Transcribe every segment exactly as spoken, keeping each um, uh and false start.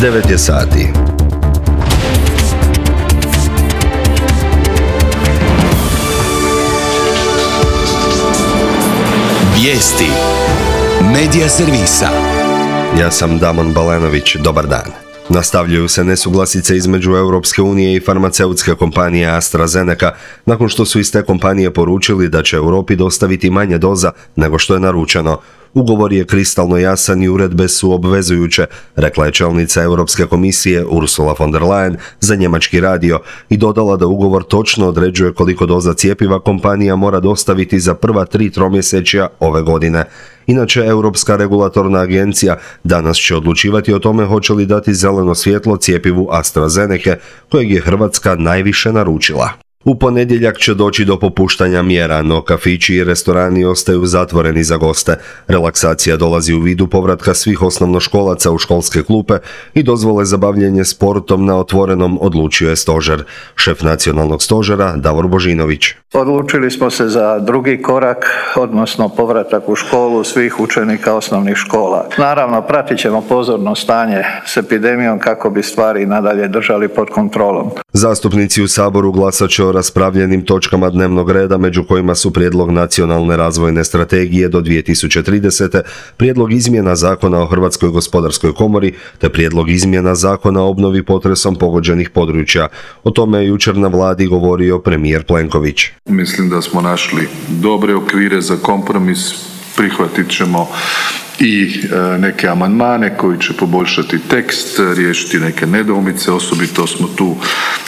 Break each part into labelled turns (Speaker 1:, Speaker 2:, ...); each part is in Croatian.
Speaker 1: devet je sati.
Speaker 2: Vijesti Medija servisa.
Speaker 1: Ja sam Damon Balenović, dobar dan. Nastavljaju se nesuglasice između Europske unije i farmaceutske kompanije AstraZeneca, nakon što su iz te kompanije poručili da će Europi dostaviti manje doza nego što je naručeno. Ugovor je kristalno jasan i uredbe su obvezujuće, rekla je čelnica Europske komisije Ursula von der Leyen za njemački radio i dodala da ugovor točno određuje koliko doza cjepiva kompanija mora dostaviti za prva tri tromjesečja ove godine. Inače, Europska regulatorna agencija danas će odlučivati o tome hoće li dati zeleno svjetlo cjepivu AstraZeneca, kojeg je Hrvatska najviše naručila. U ponedjeljak će doći do popuštanja mjera, no kafići i restorani ostaju zatvoreni za goste. Relaksacija dolazi u vidu povratka svih osnovnoškolaca u školske klupe i dozvole za bavljenje sportom na otvorenom, odlučio je stožer. Šef nacionalnog stožera Davor Božinović.
Speaker 3: Odlučili smo se za drugi korak, odnosno povratak u školu svih učenika osnovnih škola. Naravno, pratit ćemo pozorno stanje s epidemijom kako bi stvari nadalje držali pod kontrolom.
Speaker 1: Zastupnici u Saboru glasat će o raspravljenim točkama dnevnog reda, među kojima su prijedlog nacionalne razvojne strategije do dvije tisuće tridesete, prijedlog izmjena Zakona o Hrvatskoj gospodarskoj komori te prijedlog izmjena Zakona o obnovi potresom pogođenih područja. O tome je jučer na vladi govorio premijer Plenković.
Speaker 4: Mislim da smo našli dobre okvire za kompromis, prihvatit ćemo i neke amandmane koji će poboljšati tekst, riješiti neke nedoumice, osobito smo tu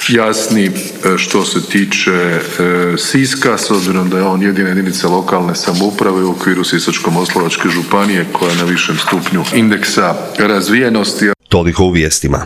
Speaker 4: jasni što se tiče Siska, s obzirom da je on jedina jedinica lokalne samouprave u okviru Sisačko-moslavačke županije koja je na višem stupnju indeksa razvijenosti.
Speaker 1: Toliko u vijestima.